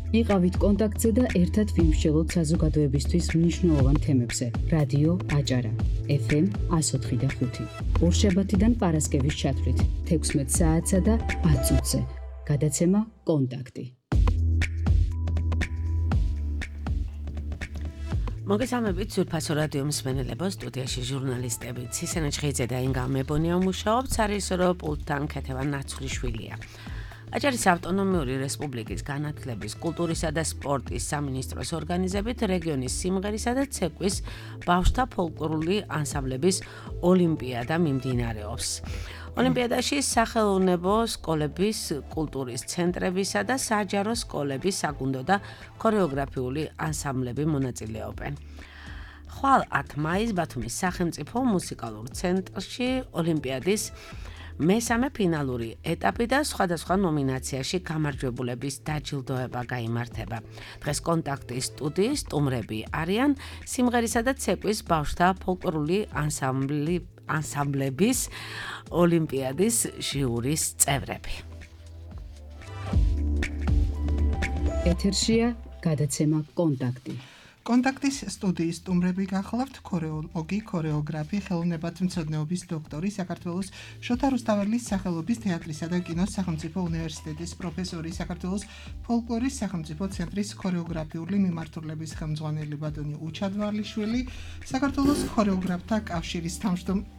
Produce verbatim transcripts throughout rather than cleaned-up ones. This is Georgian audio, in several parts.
იყავით კონტაქტზე და ერთად ვიმსჯელოთ საზოგადოებისთვის მნიშვნელოვან თემებზე. რადიო აჭარა, ეფ ემ εκατო ოთხი და ხუთი. ორშაბათიდან პარასკევის ჩათვლით, თექვსმეტ საათსა და ათ წუთზე. გადაცემა კონტაქტი. მოგესალმებით ძვირფასო რადიო მსმენელებო, სტუდიაში ჟურნალისტები ცისენა ჩხეიძე და ინგა მებონია მუშაობს, სარისორო პულტთან ქეთევან ნაცვლიშვილია. აჭარის ავტონომიური რესპუბლიკის განათლების, კულტურისა და სპორტის სამინისტროს ორგანიზებით რეგიონის სიმღერისა და ცეკვის ბავშვთა ფოლკლორული ანსამბლების ოლიმპიადა მიმდინარეობს. ოლიმპიადაში სახელოვნებო სკოლების, კულტურის ცენტრებისა და საჯარო სკოლების საგუნდო და ქორეოგრაფიული ანსამბლები მონაწილეობენ. ხვალ ათ მაისს ბათუმის სახელმწიფო მუსიკალურ ცენტრში ოლიმპიადის მესამე ფინალური ეტაპი და სხვადასხვა ნომინაციაში გამარჯვებულების დაჯილდოება გაიმართება. დღეს კონტაქტის სტუდიის სტუმრები არიან სიმღერისა და ცეკვის ბავშვთა ფოლკლორული ანსამბლი ანსამბლების ოლიმპიადის ჟიურის წევრები. ეთერშია გადაცემა კონტაქტი. კონტაქტის სტუდიის სტუმრები გახლავთ ქორეოლოგი, ქორეოგრაფი, ხელოვნებათმცოდნეობის დოქტორი, საქართველოს შოთა რუსთაველის სახელობის თეატრისა და კინოს სახელმწიფო უნივერსიტეტის პროფესორი, საქართველოს ფოლკლორის სახელმწიფო ცენტრის ქორეოგრაფიული მიმართულების ხელმძღვანელი ბატონი უჩადვალიშვილი, საქართველოს ქორეოგრაფთა კავშირის თავმჯდომარე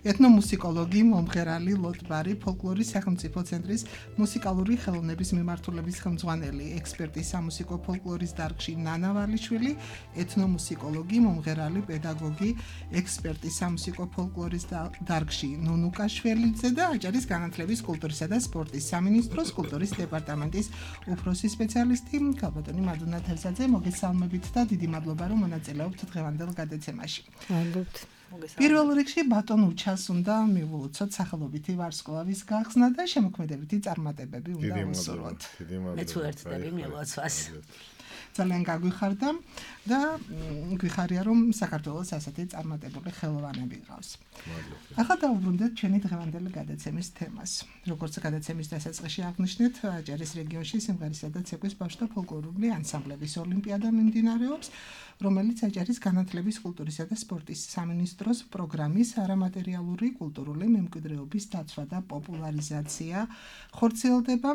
ეთნომუსიკოლოგი, მომღერალი ლოტბარი, ფოლკლორის სახელმწიფო ცენტრის მუსიკალური ხელოვნების მიმართულების ხელმძღვანელი, ექსპერტი სამუსიკო ფოლკლორის დარგში ნანა ვალიშვილი, ეთნომუსიკოლოგი, მომღერალი, პედაგოგი, ექსპერტი სამუსიკო ფოლკლორის დარგში ნუნუ კაშველიძე და აჭარის განათლების, კულტურისა და სპორტის სამინისტროს კულტურის დეპარტამენტის უფროსი სპეციალისტი ქალბატონი მადუნა თევზაძე. მოგესალმებით და დიდი მადლობა რომ მონაწილეობთ დღევანდელ გადაცემაში. მადლობთ. პირველ რიგში ბატონ უჩას უნდა მივულოცოთ სახელობითი ვარსკვლავის გახსნა და შემოქმედებითი წარმატებები უნდა უსურვოთ. მეც ვერცდები მილოცვას. ძალიან გაგვიხარდა და გვიხარია რომ საქართველოს ასეთი წარმატებული ხელოვანები ყავს. ახლა დავუბრუნდეთ ჩვენი დღევანდელი გადაცემის თემას. როგორც გადაცემის დასაწყისში აღნიშნეთ, აჭარის რეგიონში სიმღერისა და ცეკვის ბავშვთა ფოლკლორული ანსამბლების ოლიმპიადა მიმდინარეობს, რომელიც აჭარის განათლების, კულტურისა და სპორტის სამინისტროს პროგრამის არამატერიალური კულტურული მემკვიდრეობის დაცვა და პოპულარიზაცია ხორციელდება.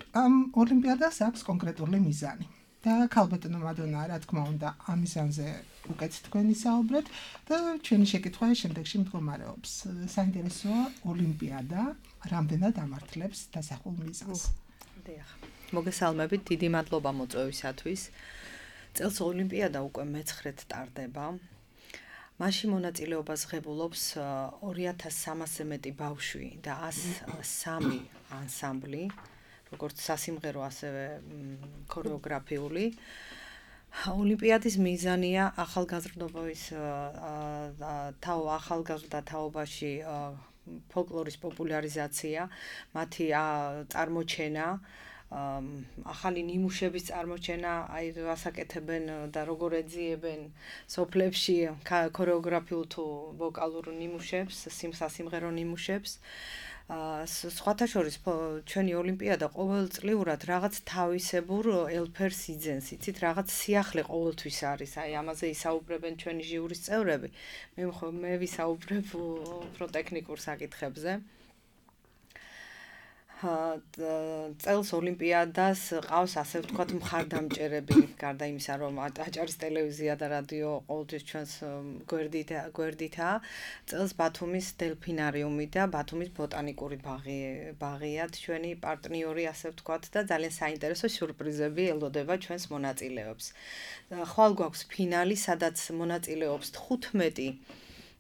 ამ ოლიმპიადას აქვს კონკრეტული მიზანი. და ქალბატონო მადონა, რა თქმა უნდა, ამ მიზანზე უკეთ თქვენი საუბრეთ და ჩვენი შეკითხვა შემდეგში მდგომარეობს. საინტერესოა ოლიმპიადა რამდენად ამართლებს დასახულ მიზანს. დიახ. მოგესალმებით, დიდი მადლობა მოწვევისათვის. წელს ოლიმპიადა უკვე მეცხრედ ტარდება. მასში მონაწილეობას ღებულობს ორი ათას სამასზე მეტი ბავშვი და ასი სამი ანსამბლი, როგორც სასიმღერო, ასევე ქორეოგრაფიული. ოლიმპიადის მიზანია ახალგაზრდობის თაო ახალგაზრდა თაობაში ფოლკლორის პოპულარიზაცია, მათი წარმოჩენა, ახალი ნიმუშების წარმოჩენა, აი ასაკეთებენ და როგორ ეძიებენ სოფლებში ქორეოგრაფიულ თუ ვოკალურ ნიმუშებს, სიმღერო ნიმუშებს. სხვათა შორის ჩვენი ოლიმპიადა ყოველწლიურად რაღაც თავისებურ ელფერს იძენს, იცით, რაღაც სიახლე ყოველთვის არის, აი ამაზე ისაუბრებენ ჩვენი ჟიურის წევრები. მე მე ვისაუბრებ უფრო ტექნიკურ საკითხებზე. წელს ოლიმპიადას ყავს ასე ვთქვათ მხარდამჭერები, გარდა იმისა რომ აჭარის ტელევიზია და რადიო ყოველთვის ჩვენს გვერდითაა. წელს ბათუმის დელფინარიუმი და ბათუმის ბოტანიკური ბაღი ბაღიათ ჩვენი პარტნიორი, ასე ვთქვათ, და ძალიან საინტერესო სიურპრიზები ელოდება ჩვენს მონაწილეებს. ხვალ გვაქვს ფინალი, სადაც მონაწილეობს თხუთმეტი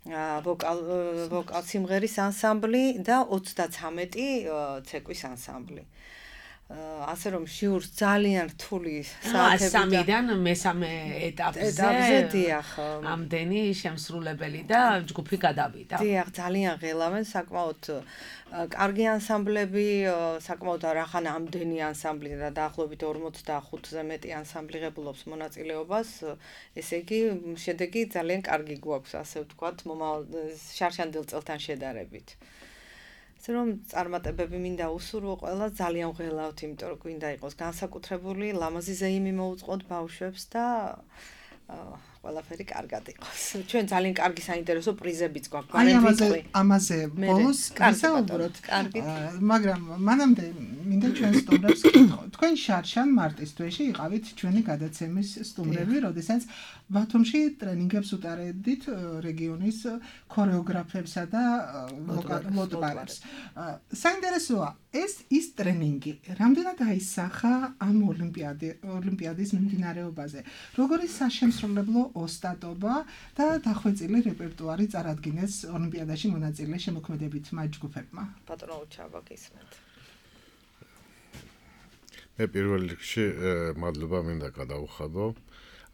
ვოკალ ვოკალ სიმღერის ანსამბლი და ოცდაცამეტი ცეკვის ანსამბლი. ასე რომ ჟიურს ძალიან რთული საათები და სამიდან მესამე ეტაპზე დიახ, ამდენი შემსრულებელი და ჯგუფი გადავიდა. დიახ, ძალიან ღელავენ, საკმაოდ კარგი ანსამბლები, საკმაოდ არახან ამდენი ანსამბლი და დაახლოებით ორმოცდახუთზე მეტი ანსამბლი ღებულობს მონაწილეობას, ესე იგი შედეგი ძალიან კარგი გვაქვს, ასე ვთქვათ, მომავალ შარშანდელ წელთან შედარებით. ასე რომ წარმატებები მინდა უსურვო ყველა ძალიან ღელავთ, იმიტომ რომ გვინდა იყოს განსაკუთრებული ლამაზი ზეიმი მოუწყოთ ბავშვებს და ყველაფერი კარგად იყოს. ჩვენ ძალიან კარგი საინტერესო პრიზებიც გვაქვს. აი ამაზე ამაზე ბოლოს ვისაუბროთ. მაგრამ მანამდე მინდა ჩვენ სტუმრებს კითხო. თქვენ შარშან მარტის თვეში იყავით ჩვენი გადაცემის სტუმრები, როდესაც ბათუმში ტრენინგებს უტარებდით რეგიონის ქორეოგრაფებსა და ლოტბარებს. საინტერესოა, ეს ის ტრენინგი რამდენად აისახა ამ ოლიმპიადის მიმდინარეობაზე. როგორი საშემსრულებლო ოსტატობა და დახვეწილი რეპერტუარი წარადგინეს ოლიმპიადაში მონაწილე შემოქმედებით მაჯგუფებმა. ბატონო ჩაბა გისმენთ. მე პირველ რიგში მადლობა მინდა გადავუხადო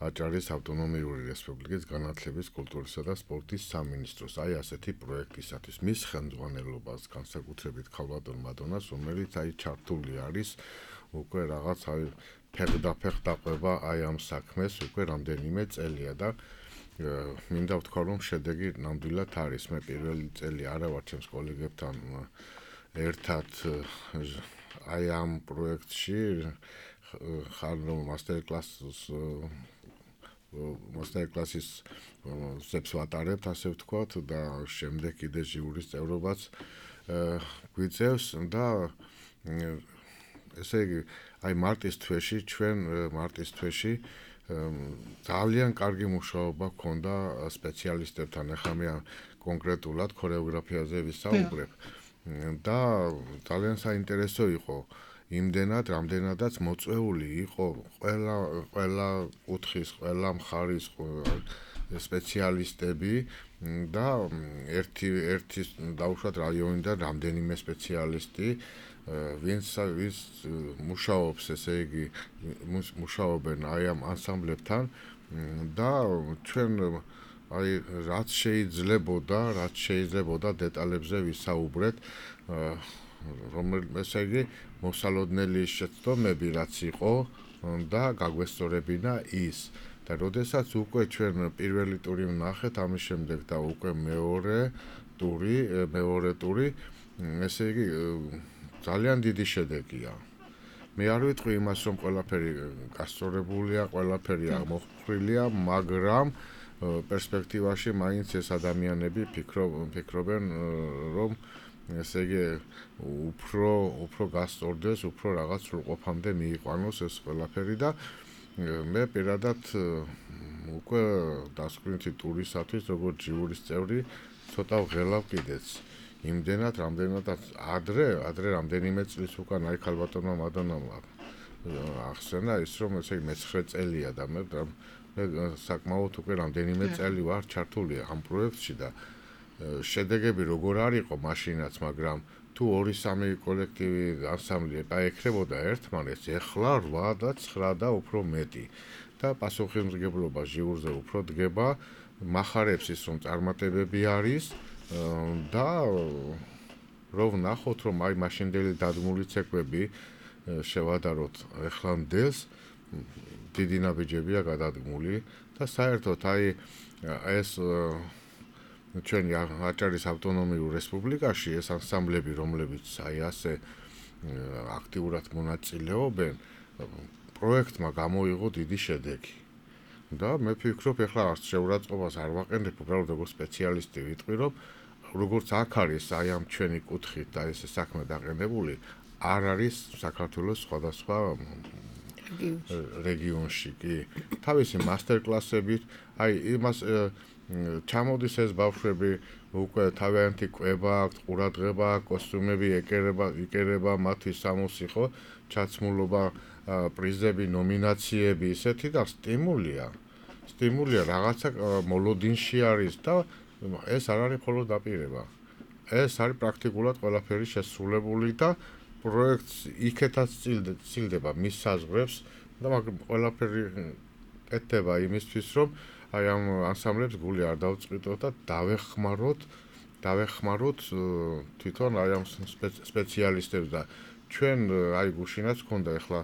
აჭარის ავტონომიური რესპუბლიკის განათლების, კულტურისა და სპორტის სამინისტროს აი ასეთი პროექტისათვის მის ხელმძღვანელობას განსაკუთრებით ქალბატონ მადონას, რომელიც აი ჩართული არის უკვე რაღაც აი ფეხდაფეხ დაყვება აი ამ საქმეს უკვე რამდენიმე წელია და მინდა ვთქვა რომ შედეგი ნამდვილად არის. მე პირველი წელი არა ვარ ჩემს კოლეგებთან ერთად აი ამ პროექტში ხარ მასტერ კლასს მასტერ კლასის ზებს ვატარებთ ასე ვთქვათ და შემდეგ კიდე ჟიურის წევრობაც გვიწევს და ესე იგი აი მარტის თვეში ჩვენ მარტის თვეში ძალიან კარგი მუშაობა ჰქონდა სპეციალისტებთან. ახლა მე კონკრეტულად ქორეოგრაფიაზე ვისაუბრებ და ძალიან საინტერესო იყო იმდენად, რამდენადაც მოწვეული იყო ყველა ყველა კუთხის, ყველა მხარის სპეციალისტები და ერთი ერთი დაუშვათ რაიონიდან რამდენიმე სპეციალისტი ვინც ვის მუშაობს ესე იგი მუშაობენ აი ამ ანსამბლებთან და ჩვენ აი რაც შეიძლებოდა რაც შეიძლებოდა დეტალებზე ვისაუბრეთ რომელიც ესე იგი მოსალოდნელი შეცდომები რაც იყო და გაგვესწორებინა ის და როდესაც უკვე ჩვენ პირველი ტური ვნახეთ ამის შემდეგ და უკვე მეორე ტური მეორე ტური ესე იგი ძალიან დიდი შედეგია. მე არ ვიტყვი იმას რომ ყველაფერი გასწორებულია, ყველაფერი აღმოხრილია, მაგრამ პერსპექტივაში მაინც ეს ადამიანები ფიქრობენ რომ ესე იგი უფრო უფრო გასწორდეს, უფრო რაღაც სრულყოფამდე მიიყვანოს ეს ყველაფერი და მე პირადად უკვე დასკვნითი ტურისათვის როგორც ჟიურის წევრი ცოტა ვღელავ კიდეც. იმდენად, რამდენადაც ადრე, ადრე რამდენიმე წლის უკან აი ქალბატონმა მადონამ ახსენა ის რომ ესე იგი მეცხრე წელია და მე საკმაოდ უკვე რამდენიმე წელი ვარ ჩართული ამ პროექტში და შედეგები როგორ არ იყო მაშინაც, მაგრამ თუ ორი სამი კოლექტივი ანსამბლი ეკრებოდა ერთმანეთს, ეხლა რვა და ცხრა და უფრო მეტი და პასუხისმგებლობა ჟიურზე უფრო დგება, მახარებს ის რომ წარმატებები არის და რო ვნახოთ რომ აი მაშინდელი დადგმული ცეკვები შევადაროთ ეხლამდელს დიდი ნაბიჯებია გადადგმული და საერთოდ აი ეს ჩვენი აჭარის ავტონომიურ რესპუბლიკაში ეს ანსამბლები რომლებიც აი ასე აქტიურად მონაწილეობენ პროექტმა გამოიღო დიდი შედეგი და მე ვფიქრობ ეხლა არც შეურაცხყოფას არ ვაყენებ უბრალოდ როგორც სპეციალისტი ვიტყვი რომ როგორც აქ არის აი ამ ჩვენი კუთხით და ეს საქმე დაყენებული არ არის საქართველოს სხვადასხვა რეგიონში კი თავისი მასტერ კლასებით აი იმას ჩამოდის ეს ბავშვები უკვე თავიანთი კვება აქვთ, ყურადღება, კოსტუმები ეკერება, იკერება მათი სამოსი ხო, ჩაცმულობა, პრიზები, ნომინაციები, ისეთი და სტიმულია. სტიმულია რაღაცა მოლოდინში არის და ეს არ არის მხოლოდ დაპირება. ეს არის პრაქტიკულად ყველაფერი შესრულებული და პროექტს იქეთაც წილდება მის საზღვრებს და მაგრამ ყველაფერი ეთება იმისთვის რომ აი ამ ანსამბლებს გული არ დავწყვიტოთ და დავეხმაროთ, დავეხმაროთ თვითონ აი ამ სპეციალისტებს და ჩვენ აი გუშინაც ქონდა ახლა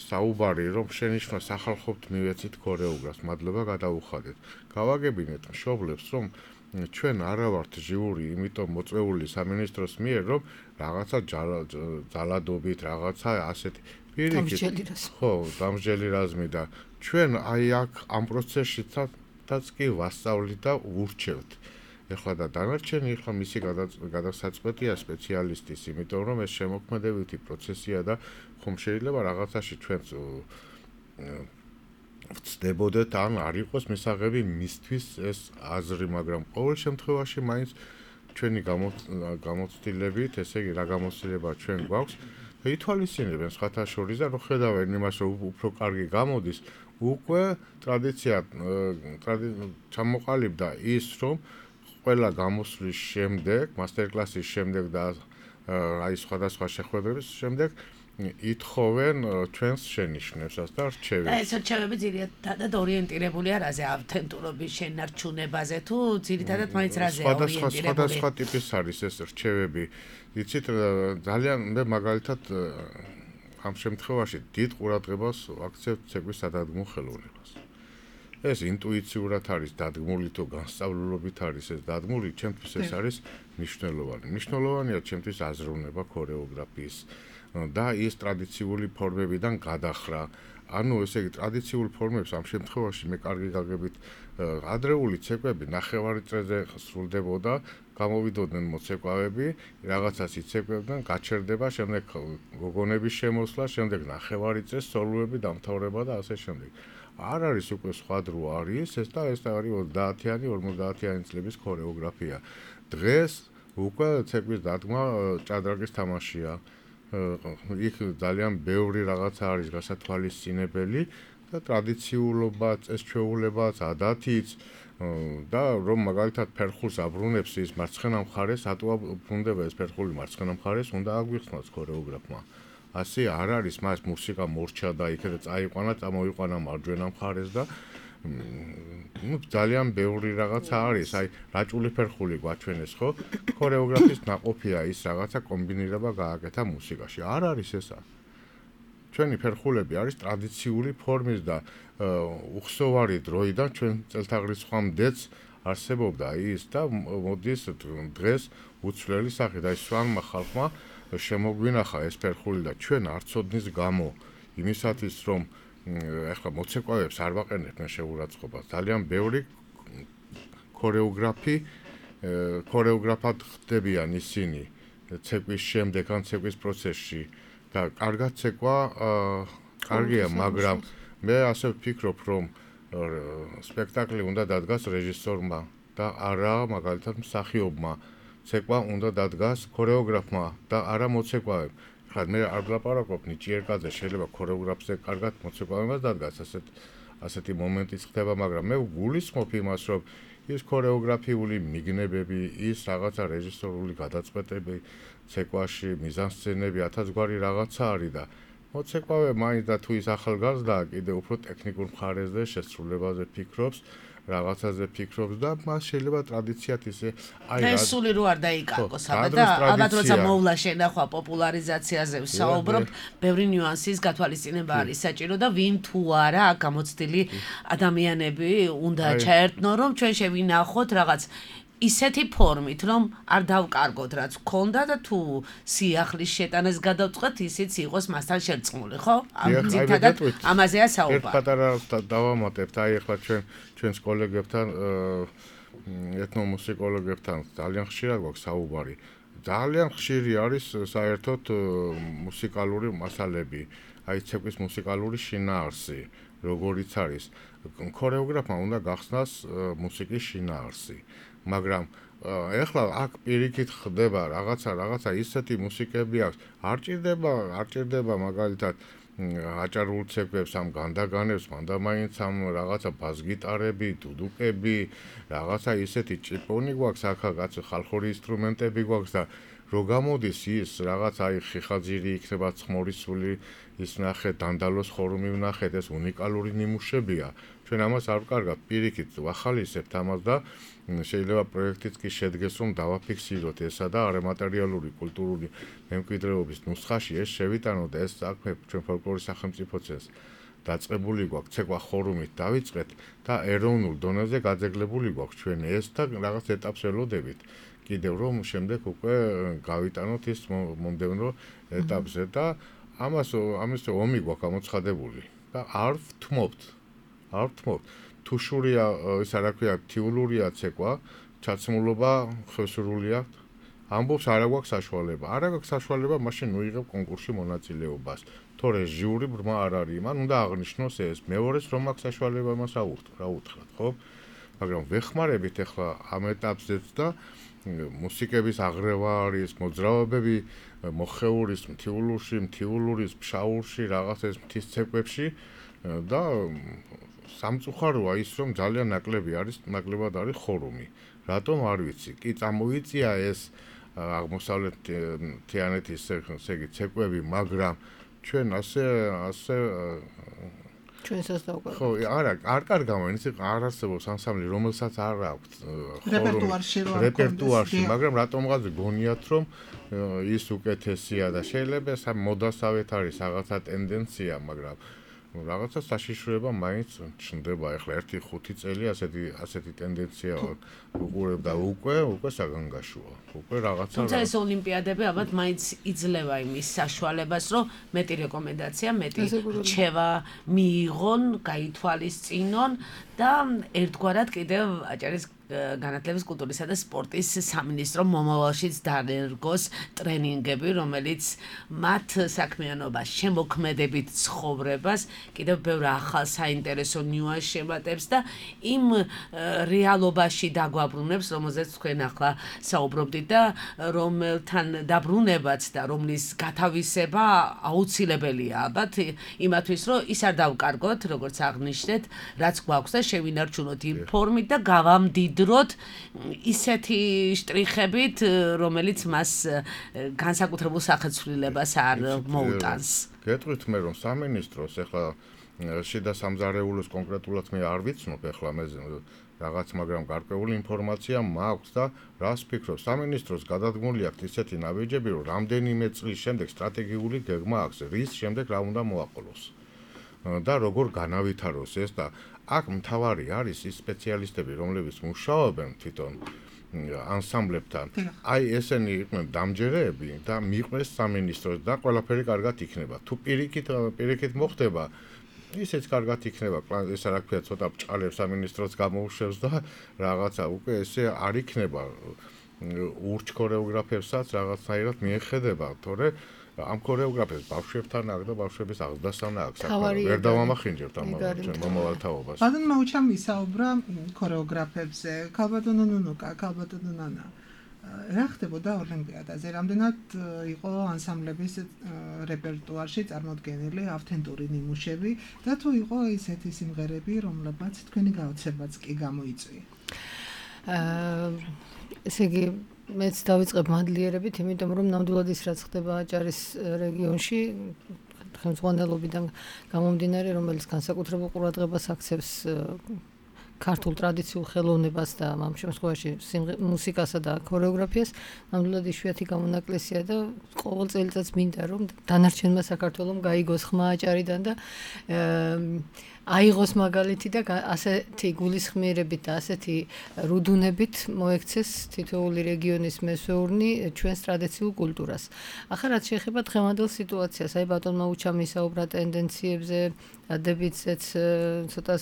საუბარი რომ შენიშვნა სახალხოდ მივეცით ქორეოგრაფს, მადლობა გადაუხადეთ. გავაგებინეთ მშობლებს რომ ჩვენ არა ვართ ჟიური, იმიტომ მოწვეული სამინისტროს მიერ, რომ რაღაცა ძალადობით, რაღაცა ასეთი დამსჯელი რაზმი. ხო, დამსჯელი რაზმი და ჩვენ აი აქ ამ პროცესშიც კი ვასწავლით და ვურჩევთ. ეხლა და დანარჩენი ეხლა მისი გადასაწყვეტია სპეციალისტის, იმიტომ რომ ეს შემოქმედებითი პროცესია და ხომ შეიძლება რაღაცაში ჩვენც ვწდებოდეთ ან არ იყოს მისაღები მისთვის ეს აზრი, მაგრამ ყოველ შემთხვევაში მაინც ჩვენი გამოცდილებით, ესე იგი რა გამოცდილება ჩვენ გვაქვს და ითვალისწინებენ სხვათა შორის და რო ხედავენ იმას, რომ უფრო კარგი გამოდის, უკვე ტრადიცია ჩამოყალიბდა ის, რომ ყველა გამოსვლის შემდეგ, მასტერკლასის შემდეგ და აი სხვადასხვა შეხვედრების შემდეგ ითხოვენ ჩვენს შენიშვნებსაც და რჩევებს. და ეს რჩევები ძირითადად ორიენტირებულია რაზე, ავთენტურობის შენარჩუნებაზე თუ ძირითადად მაინც რაზე ორიენტირებული? სხვადასხვა ტიპის არის ეს რჩევები. იცით, ძალიან მე მაგალითად ამ შემთხვევაში დიდ ყურადღებას ვაქცევთ ცეკვის სადადგმო ხელოვნებას. ეს ინტუიციურად არის დადგმული თუ განსწავლულობით არის ეს დადგმული, ჩემთვის ეს არის მნიშვნელოვანი. მნიშვნელოვანია ჩემთვის აზროვნება ქორეოგრაფიის და ის ტრადიციული ფორმებიდან გადახრა. ანუ ესე იგი ტრადიციულ ფორმებს ამ შემთხვევაში მე კარგი გაგებით ადრეული ცეკვები ნახევარი წრეზე სრულდებოდა, გამოვიდოდნენ მოცეკვავები, რაღაცას იცეკვებდნენ, გაჩერდება, შემდეგ გოგონების შემოსვლა, შემდეგ ნახევარი წრე სოლოები დამთავრება და ასე შემდეგ. არ არის უკვე სხვა დრო არის ეს და ეს არის ოცდაათიანი, ორმოცდაათიანი წლების ქორეოგრაფია. დღეს უკვე ცეკვის დადგმა ჭადრაკის თამაშია. იქ ძალიან ბევრი რაღაცა არის გასათვალისწინებელი და ტრადიციულობა, წესჩვეულებაც, ადათიც და რომ მაგალითად ფერხულს აბრუნებს ის მარცხენა მხარეს, ატო აბრუნდება ეს ფერხული მარცხენა მხარეს, უნდა აგვიხსნას ქორეოგრაფმა. ასე არ არის, მას მუსიკა მორჩა და იქედა წაიყვანა, წამოიყვანა მარჯვენა მხარეს და ну ძალიან ბევრი რაღაცა არის, აი რაჭული ფერხული გვაჩვენეს, ხო? ქორეოგრაფის ნაყოფია ის რაღაცა კომბინირება გააკეთა მუსიკაში. არ არის ესა. ჩვენი ფერხულები არის ტრადიციული ფორმის და უხსოვარი დროიდან ჩვენ წელთაღრიცხვამდეც არსებობდა ის და მოდის დღეს უცვლელი სახით, აი სვანმა ხალხმა შემოგვინახა ეს ფერხული და ჩვენ არ ცოდნის გამო იმისათვის რომ ეხლა მოცეკვავებს არ ვაყენებენ შეურაცხყოფას. ძალიან ბევრი ქორეოგრაფი ქორეოგრაფად ხდებიან ისინი ცეკვის შემდეგ ან ცეკვის პროცესში და კარგად ცეკვა კარგია, მაგრამ მე ასე ვფიქრობ, რომ სპექტაკლი უნდა დადგას რეჟისორმა და არა მაგალითად მსახიობმა. ცეკვა უნდა დადგას ქორეოგრაფმა და არა მოცეკვავემ. ხა მე არ ვლაპარაკობ ნიჭიერკაზე, შეიძლება ქორეოგრაფზე კარგად მოცეკვავებას დადგას, ასეთ ასეთი მომენტიც ხდება, მაგრამ მე გულისხმობ იმას, რომ ის ქორეოგრაფიული მიგნებები, ის რაღაცა რეჟისორული გადაწყვეტები ცეკვაში, მიზანსცენები, ათასგვარი რაღაცა არის და მოცეკვავე მაინც და თუ ის ახალგაზრდაა, კიდე უფრო ტექნიკურ მხარეზე, შესრულებაზე ფიქრობს, რაღაცაზე ფიქრობს და მას შეიძლება ტრადიციად ისე აი ეს სული რო არ დაიკარგოს აბა და ალბათ როცა მოვლა შენახვა პოპულარიზაციაზე ვსაუბრობ, ბევრი ნიუანსის გათვალისწინება არის საჭირო და ვინ თუ არა გამოცდილი ადამიანები უნდა ჩაერთნო, რომ ჩვენ შევინახოთ რაღაც ისეთი ფორმით, რომ არ დავკარგოთ რაც გქონდა და თუ სიახლის შეტანას გადავწყვეტ, ისიც იყოს მასთან შერწყმული, ხო? ძირითადად ამაზეა საუბარი. ერთ პატარა დავამატებთ, აი ახლა ჩვენ ჩვენს კოლეგებთან, ეთნომუსიკოლოგებთან ძალიან ხშირად გვაქვს საუბარი. ძალიან ხშირი არის საერთოდ მუსიკალური მასალები, აი ცეკვის მუსიკალური შინაარსი, როგორიც არის. ქორეოგრაფმა უნდა გახსნას მუსიკის შინაარსი. მაგრამ ეხლა აქ პირიქით ხდება რაღაცა რაღაცა ისეთი მუსიკები აქვს, არ ჭირდება, არ ჭირდება მაგალითად აჭარულ ცეკვებს ამ განდაგანებს, მანდა მაინც ამ რაღაცა ბას-გიტარები, დუდუკები, რაღაცა ისეთი ჭიპონი გვაქვს, აქაც ხალხური ინსტრუმენტები გვაქვს და რო გამოდის ის რაღაც აი ხიხაძირი იქნება ცხმორისული ის ნახეთ დანდალოს ხორუმი ვნახეთ ეს უნიკალური ნიმუშებია ჩვენ ამას არ ვკარგავთ პირიქით ვახალისებთ ამას და შეიძლება პროექტიც კი შედგეს რომ დავაფიქსიროთ ესა და არამატერიალური კულტურული მემკვიდრეობის ნუსხაში ეს შევიტანოთ და ეს საქმე ჩვენ ფოლკლორის სახელმწიფო წესს დაწყებული გვაქვს ცეკვა ხორუმით დავიწყეთ და ეროვნულ დონეზე გაძეგლებული გვაქვს ჩვენ ეს და რაღაც ეტაპს ველოდებით კიდევ რომ შემდეგ უკვე გავიტანოთ ის მომდევნო ეტაპზე და ამას ამის ომი გვაქვს გამოცხადებული და არ ვთმობთ არ ვთმობთ თუ შურია ის არა ქვია თიულურია ცეკვა ჩაცმულობა ხევსურულია ამბობს არა გვაქვს საშუალება არა გვაქვს საშუალება მაშინ ნუიღებ კონკურსში მონაწილეობას თორე ჟიური ბრმა არ არის მან უნდა აღნიშნოს ეს მეორეს რომ აქვს საშუალება მას აურთქ რა უთხრათ ხო მაგრამ ვეხმარებით ახლა ამ ეტაპზეც და მუსიკების აღრევა არის მოძრაობები მოხეურის მთიულურში მთიულურის ფშაურში რაღაც ეს მთის ცეკვებში და სამწუხაროა ის რომ ძალიან ნაკლები არის ნაკლებად არის ხორუმი რატომ არ ვიცი კი წამოიწია ეს აღმოსავლეთ თიანეთის ესე ცეკვები მაგრამ ჩვენ ასე ასე ჩვენსაც დავკარგავთ. ხო, არა, არ კარგავ, ის არ არსებობს ანსამბლი, რომელსაც არ აქვს რეპერტუარში რო არ რეპერტუარში, მაგრამ რატომღაც გონიათ რომ ის უკეთესია და შეიძლება სამ მოდასავეთ არის რაღაცა ტენდენცია, მაგრამ რაღაცა საშიშროება მაინც ჩნდება. ეხლა ერთი ხუთი წელი ასეთი ასეთი ტენდენცია უყურებ და უკვე უკვე საგანგაშოა. უკვე რაღაცა თუმცა ეს ოლიმპიადები ალბათ მაინც იძლევა იმის საშუალებას, რომ მეტი რეკომენდაცია, მეტი რჩევა მიიღონ, გაითვალისწინონ და ერთგვარად კიდევ აჭარის განათლების კულტურისა და სპორტის სამინისტრო მომავალშიც დაერგოს ტრენინგები, რომელიც მათ საქმიანობას, შემოქმედებით ცხოვრებას კიდევ ბევრ ახალ საინტერესო ნიუანსს შემატებს და იმ რეალობაში დაგვაბრუნებს, რომელზეც თქვენ ახლა საუბრობდით და რომელთან დაბრუნებაც და რომლის გათავისება აუცილებელია ალბათ იმათვის, რომ ის არ დავკარგოთ, როგორც აღნიშნეთ, რაც გვაქვს და შევინარჩუნოთ იმ ფორმით და გავამდიდროთ დროთ ისეთი შტრიხებით, რომელიც მას განსაკუთრებულ სახეცვლილებას არ მოუტანს. გეტყვით მე რომ სამინისტროს ახლა შიდა სამზარეულოს კონკრეტულად მე არ ვიცნობ ახლა მე რაღაც მაგრამ გარკვეული ინფორმაცია მაქვს და რას ფიქრობ სამინისტროს გადადგმული აქვს ისეთი ნაბიჯები რომ რამდენიმე წლის შემდეგ სტრატეგიული გეგმა აქვს რის შემდეგ რა უნდა მოაყოლოს და როგორ განავითაროს ეს და აქ მთავარი არის ის სპეციალისტები, რომლებიც მუშაობენ თვითონ ანსამბლებთან. აი ესენი იყვნენ დამჯერეები და მიყვეს სამინისტროს და ყველაფერი კარგად იქნება. თუ პირიქით პირიქით მოხდება, ისეც კარგად იქნება. ეს რა ქვია, ცოტა ბჭყალებს სამინისტროს გამოუშვებს და რაღაცა უკვე ესე არ იქნება. ურჩ ქორეოგრაფებსაც რაღაცნაირად მიეხედება, თორე ამ ქორეოგრაფებს ბავშვებთან აქ და ბავშვების აღზრდასთან აქ საქმე ვერ დავამახინჯებთ ამ მომავალ თაობას. ბატონ მაუჩამ ისაუბრა ქორეოგრაფებზე, ქალბატონო ნუნუკა, ქალბატონო ნანა. რა ხდებოდა ოლიმპიადაზე? რამდენად იყო ანსამბლების რეპერტუარში წარმოდგენილი ავთენტური ნიმუშები და თუ იყო ისეთი სიმღერები, რომლებაც თქვენი გაოცებაც კი გამოიწვია? აა ესე იგი მეც დავიწყებ მადლიერებით, იმიტომ რომ ნამდვილად ის რაც ხდება აჭარის რეგიონში, ხელმძღვანელობიდან გამომდინარე, რომელიც განსაკუთრებულ ყურადღებას აქცევს ქართულ ტრადიციულ ხელოვნებას და ამ შემთხვევაში მუსიკასა და ქორეოგრაფიას, ნამდვილად იშვიათი გამონაკლისია და ყოველ წელიწადს მინდა რომ დანარჩენმა საქართველომ გაიგოს ხმა აჭარიდან და აიღოს მაგალითი და ასეთი გულისხმიერებით და ასეთი რუდუნებით მოექცეს თითოეული რეგიონის მესვეურნი ჩვენს ტრადიციულ კულტურას. ახლა რაც შეეხება დღევანდელ სიტუაციას, აი ბატონმა უჩამ ისაუბრა ტენდენციებზე, დადებითზეც, ცოტა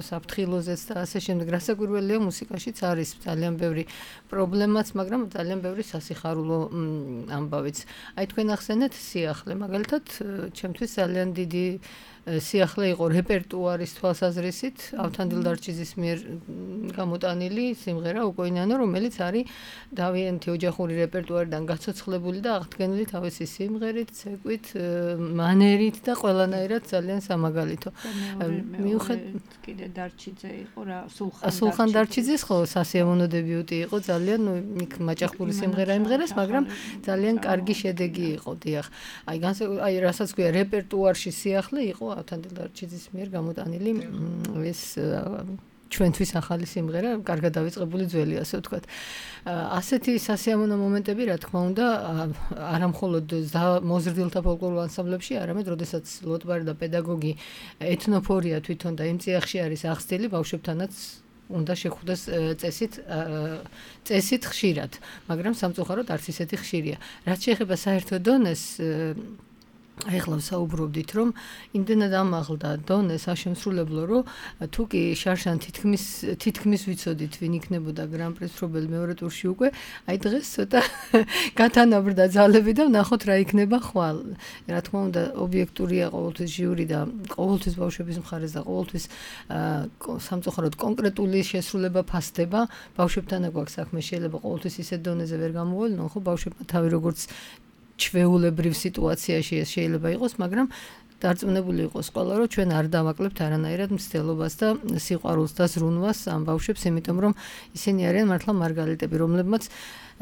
საფრთხილოზეც და ასე შემდეგ. რასაკვირველია, მუსიკაშიც არის ძალიან ბევრი პრობლემაც, მაგრამ ძალიან ბევრი სასიხარულო ამბავიც. აი თქვენ ახსენეთ სიახლე, მაგალითად, ჩემთვის ძალიან დიდი სიახლე იყო რეპერტუარის თვალსაზრისით ავთანდილ დარჩიძის მიერ გამოტანილი სიმღერა უკოინანო, რომელიც არის დავიანთი ოჯახური რეპერტუარიდან გაცოცხლებული და აღდგენილი თავისი სიმღერით, ცეკვით, მანერით და ყველანაირად ძალიან სამაგალითო. მიუხედავად კიდე დარჩიძე იყო რა, სულხან სულხან დარჩიძის ხო სასიამოვნო დებიუტი იყო, ძალიან იქ მაჭახური სიმღერა იმღერეს, მაგრამ ძალიან კარგი შედეგი იყო, დიახ. აი აი რასაც ქვია რეპერტუარში სიახლე იყო ავთანდილ დარჩიძის მიერ გამოტანილი ეს ჩვენთვის ახალი სიმღერა, კარგად დავიწყებული ძველი, ასე ვთქვათ. ასეთი სასიამოვნო მომენტები, რა თქმა უნდა, არა მხოლოდ მოზრდილთა ფოლკლორულ ანსამბლებში, არამედ როდესაც ლოტბარი და პედაგოგი ეთნოფორია თვითონ და იმ წიაღში არის აღსდილი, ბავშვებთანაც უნდა შეხვდეს წესით წესით ხშირად, მაგრამ სამწუხაროდ არც ისეთი ხშირია. რაც შეეხება საერთო დონეს, ეხლა ვსაუბრობდით, რომ იმდენად ამაღლდა დონე საშემსრულებლო, რომ თუ კი შარშან თითქმის თითქმის ვიცოდით, ვინ იქნებოდა გრან-პრის მფლობელი მეორე ტურში უკვე, აი დღეს ცოტა გათანაბრდა ძალები და ვნახოთ რა იქნება ხვალ. რა თქმა უნდა, ობიექტურია ყოველთვის ჟიური და ყოველთვის ბავშვების მხარეს და ყოველთვის სამწუხაროდ კონკრეტული შესრულება ფასდება. ბავშვებთან აქვს საქმე, შეიძლება ყოველთვის ისეთ დონეზე ვერ გამოვლინონ, ხო, ბავშვებმა თავი როგორც ჩვეულებრივ სიტუაციაში ეს შეიძლება იყოს, მაგრამ დარწმუნებული იყოს ყველა, რომ ჩვენ არ დავაკლებთ არანაირად მცდელობას და სიყვარულს და ზრუნვას ამ ბავშვებს, იმიტომ რომ ისინი არიან მართლა მარგალიტები, რომლებმაც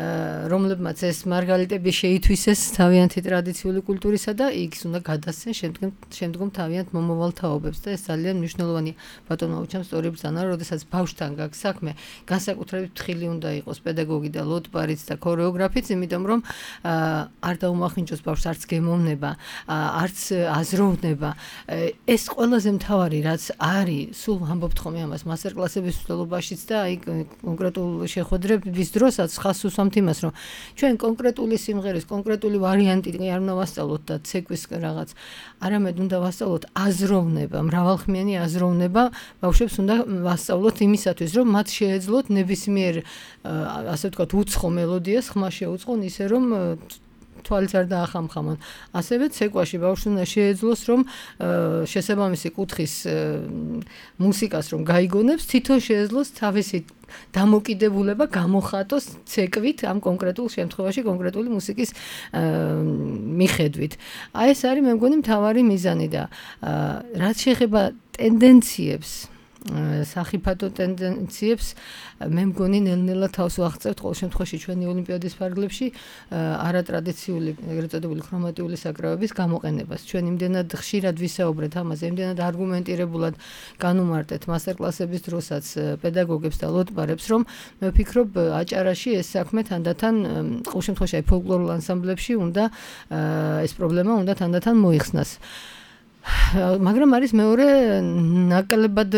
რომლებმაც ეს მარგალიტები შეითვისეს თავიანთი ტრადიციული კულტურისა და იქს უნდა გადასცენ შემდგომ შემდგომ თავიანთ მომავალ თაობებს და ეს ძალიან მნიშვნელოვანია. ბატონო აუჩამ სწორი ბრძანა, როდესაც ბავშვთან გაქვს საქმე, განსაკუთრებით თხილი უნდა იყოს პედაგოგი და ლოტბარიც და ქორეოგრაფიც, იმიტომ რომ არ დაუმახინჯოს ბავშვს, არც გემოვნება, არც აზროვნება. ეს ყველაზე მთავარი, რაც არის, სულ ამბობთ ხოლმე ამას მასტერკლასების მსვლელობაშიც და აი კონკრეტულ შეხვედრების დროსაც ხას უსვამთ იმას, რომ ჩვენ კონკრეტული სიმღერის, კონკრეტული ვარიანტი არ უნდა ვასწავლოთ და ცეკვის რაღაც, არამედ უნდა ვასწავლოთ აზროვნება, მრავალხმიანი აზროვნება, ბავშვებს უნდა ვასწავლოთ იმისათვის, რომ მათ შეეძლოთ ნებისმიერ, ასე ვთქვათ, უცხო მელოდიას ხმა შეუწყონ ისე, რომ თვალიც არ დაახამხამონ. ასევე ცეკვაში ბავშვს უნდა შეეძლოს, რომ შესაბამისი კუთხის მუსიკას რომ გაიგონებს, თვითონ შეეძლოს თავისი დამოკიდებულება გამოხატოს ცეკვით ამ კონკრეტულ შემთხვევაში კონკრეტული მუსიკის მიხედვით. აი ეს არის მე მგონი მთავარი მიზანი და რაც შეეხება ტენდენციებს, სახიფათო ტენდენციებს, მე მგონი ნელ-ნელა თავს ვაღწევთ ყოველ შემთხვევაში ჩვენი ოლიმპიადის ფარგლებში არატრადიციული, ეგრეთ წოდებული ქრომატიული საკრავების გამოყენებას. ჩვენ იმდენად ხშირად ვისაუბრეთ ამაზე, იმდენად არგუმენტირებულად განუმარტეთ მასტერკლასების დროსაც პედაგოგებს და ლოტბარებს, რომ მე ვფიქრობ აჭარაში ეს საქმე თანდათან ყოველ შემთხვევაში აი ფოლკლორულ ანსამბლებში უნდა ეს პრობლემა უნდა თანდათან მოიხსნას. მაგრამ არის მეორე ნაკლებად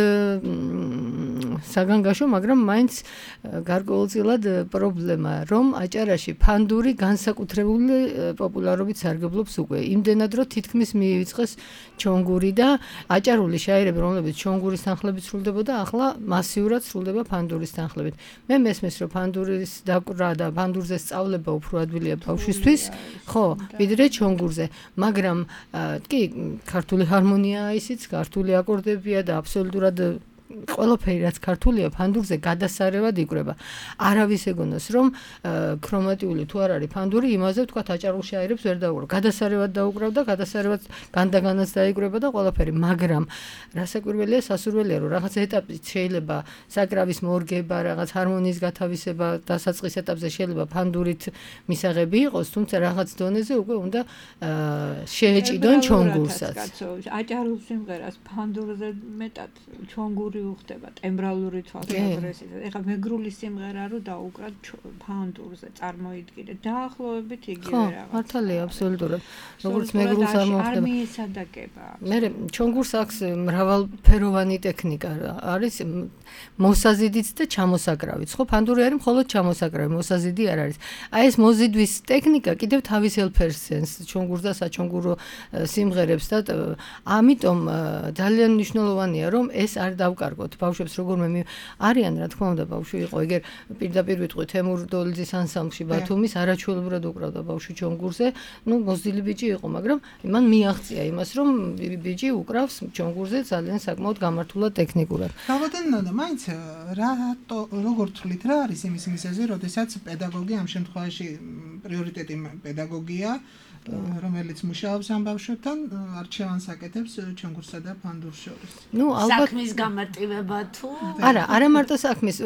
საგანგაშო, მაგრამ მაინც გარკვეულწილად პრობლემა, რომ აჭარაში ფანდური განსაკუთრებული პოპულარობით სარგებლობს უკვე. იმდენად, რომ თითქმის მიივიწყეს ჩონგური და აჭარული შაირები, რომლებიც ჩონგურის თანხლებით სრულდებოდა, ახლა მასიურად სრულდება ფანდურის თანხლებით. მე მესმის, რომ ფანდურის დაკვრა და ფანდურზე სწავლება უფრო ადვილია ბავშვისთვის, ხო, ვიდრე ჩონგურზე, მაგრამ კი, ქართული ჰარმონია ისიც, ქართული აკორდებია და აბსოლუტურად ყველაფერი რაც ქართულია ფანდურზე გადასარევად იკვრება. არავის ეგონოს რომ ქრომატიული თუ არ არის ფანდური, იმაზე ვთქვათ აჭარულ შაირებს ვერ დაუკრავ. გადასარევად დაუკრავ და გადასარევად განდაგანაც დაიკვრება და ყველაფერი, მაგრამ რასაკვირველია, სასურველია, რომ რაღაც ეტაპით შეიძლება საკრავის მორგება, რაღაც ჰარმონიის გათავისება, დასაწყის ეტაპზე შეიძლება ფანდურით მისაღები იყოს, თუმცა რაღაც დონეზე უკვე უნდა შეეჭიდონ ჩონგურსაც. აჭარულ სიმღერას ფანდურზე მეტად ჩონგური უხდება ტემბრალური თვალსაზრისით. ეხლა მეგრული სიმღერა რო დაუკრათ ფანდურზე წარმოიდგინე. დაახლოებით იგივე რაღაც. ხო, მართალია, აბსოლუტურად. როგორც მეგრულს არ მოხდება. არ მიესადაგება. მე ჩონგურს აქვს მრავალფეროვანი ტექნიკა. არის მოსაზიდიც და ჩამოსაკრავიც. ხო, ფანდური არის მხოლოდ ჩამოსაკრავი, მოსაზიდი არ არის. აი ეს მოზიდვის ტექნიკა კიდევ თავის ელფერსენს ჩონგურს და საჩონგურო სიმღერებს და ამიტომ ძალიან მნიშვნელოვანია, რომ ეს არ დავკარგოთ დავკარგოთ. ბავშვებს როგორმე არიან, რა თქმა უნდა, ბავშვი იყო, ეგერ პირდაპირ ვიტყვი თემურ დოლიძის ანსამბლში ბათუმის არაჩვეულებრივად უკრავდა ბავშვი ჩონგურზე. ნუ მოზრდილი ბიჭი იყო, მაგრამ მან მიაღწია იმას, რომ ბიჭი უკრავს ჩონგურზე ძალიან საკმაოდ გამართულად ტექნიკურად. გავადანდა, მაინც რატო როგორ თვლით რა არის იმის მიზეზი, როდესაც პედაგოგი ამ შემთხვევაში პრიორიტეტი პედაგოგია, რომელიც მუშაობს ამ ბავშვებთან, არჩევანს აკეთებს ჩონგურსა და ფანდურს შორის. ნუ ალბათ საქმის გამარტივება თუ არა, არა მარტო საქმის,